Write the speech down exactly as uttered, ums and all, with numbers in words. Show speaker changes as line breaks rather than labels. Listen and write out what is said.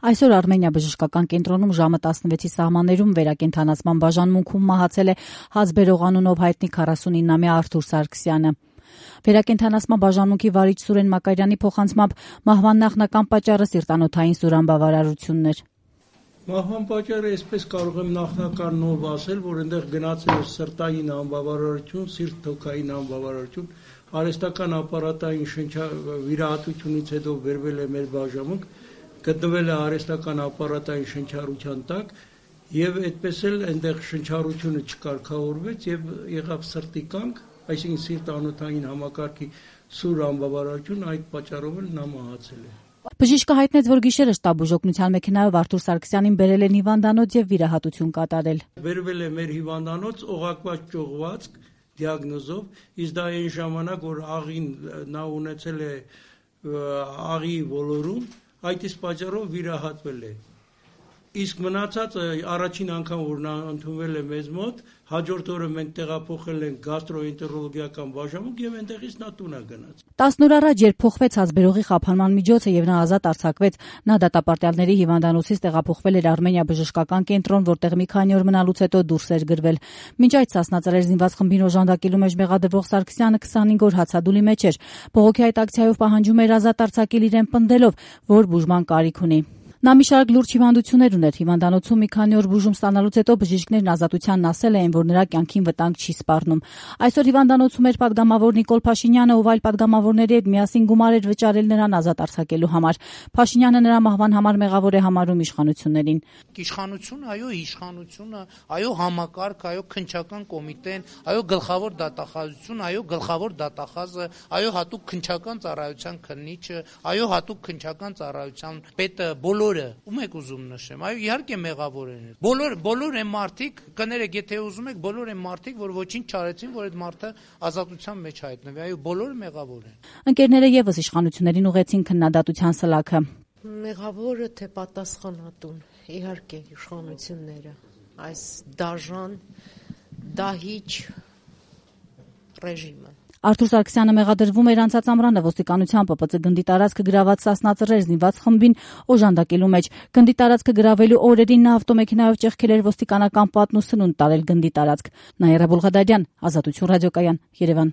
Այսօր Արմենիա բժշկական կենտրոնում ժամը տասնվեցի սահմաններում վերակենդանացման բաժանմունքում մահացել է Հազբերող անունով հայտնի քառասունինամյա Արթուր Սարգսյանը։ Վերակենդանացման բաժանմունքի վարիչ Սուրեն Մակարյանի փոխանցմամբ մահվան նախնական պատճառը սիրտանոթային սուրանբավարարությունն էր։
Մահվան պատճառը այսպես կարող եմ նախնականով ասել, որ այնտեղ գնացել է սրտային անբավարարություն, սիրտ-թոքային անբավարարություն, արհեստական ապարատային շնչավիրահատությունից հետո վերվել է մեր բաժանմունք, գտնվել է արհեստական ապարատային շնչառության տակ եւ այդպես էլ այնտեղ շնչառությունը չկարգավորվեց եւ եղավ սրտի կանգ, այսինքն սիրտանոթային համակարգի սուր անբավարարություն, այդ պատճառով էլ նա մահացել է։
Բժիշկը հայտնեց, որ գիշերը շտաբ բուժօգնության մեքենայով Արթուր Սարգսյանին բերել են հիվանդանոց եւ վիրահատություն կատարել։
Բերվել է մեր հիվանդանոց օղակված ճողվածք դիագնոզով, իսկ դա այն ժամանակ, որ աղին նա ունեցել է աղի ոլորում, այդ իսկ պատճառով վիրահատվել է։ Իսկ մնացածը առաջին անգամ, որ նա ընդունվել է մեզ մոտ, հաջորդ օրը մենք տեղափոխել ենք գաստրոենտերոլոգիական բաժանմունք եւ այնտեղից նա տուն է գնաց։
տասն օր առաջ, երբ փոխվեց Հազբերողի խափանման միջոցը եւ նա ազատ արձակվեց, նա դատապարտյալների հիվանդանոցից տեղափոխվել էր Արմենիա բժշկական կենտրոն, որտեղ մի քանի օր մնալուց հետո դուրս էր գրվել։ Մինչ այդ Սասնածռեր զինված խմբին օժանդակելու մեջ մեղադրվող Սարգսյանը քսանհինգ օր հացադուլի մեջ էր։ Բողոքի այդ ակցիայով պահանջում էր ազատ արձակել իրեն պնդելով, որ բուժման կարիք ունի։ Նա մի շարք լուրջ հիվանդություններ ուներ։ Հիվանդանոցում մի քանի օր բուժում ստանալուց հետո բժիշկներն ազատությանն ասել էին, որ նրա կյանքին վտանգ չի սպառնում։ Այսօր հիվանդանոցում էր պատգամավոր Նիկոլ Փաշինյանը, ով այլ պատգամավորների հետ միասին գումար էր վճարել նրան ազատ արձակելու համար։ Փաշինյանը նրա մահվան համար մեղավոր է համարում իշխանություններին։
Իշխանությունը, այո, իշխանությունը, այո, համակարգ, այո, քննչական կոմիտեն, այո, գլխավոր դատախազություն, այո, գլխավոր դատախազը, այո, հատուկ քննչական ծառայության քննիչը, այո, հատուկ քննչական ծառայության պետը, բոլոր ում եք ուզում նշեմ, այո, իհարկե մեղավոր են։ Բոլոր բոլոր այն մարդիկ, կներեք, եթե ուզում եք, բոլոր այն մարդիկ, որ ոչինչ չարեցին, որ այդ մարդը ազատության մեջ հայտնվի, այո, բոլորը մեղավոր են։
Ընկերները եւս իշխանություններին ուղեցին քննադատության սլաքը։
Մեղավորը թե պատասխանատուն, իհարկե իշխանությունները, այս դաժան, դահիճ ռեժիմը։
Արթուր Սարգսյանը մեղադրվում էր անցած ամռանը ոստիկանության Պ Պ Ծ գնդի տարածքը գրաված Սասնածռեր զինված խմբին օժանդակելու մեջ։ Գնդի տարածքը գրավելու օրերին նա ավտոմեքենայով ճեղքել էր ոստիկանական պատն ու սնունդ տարել գնդի տարածք։ Նաիրա Բուլղադարյան, Ազատություն ռադիոկայան, Երևան։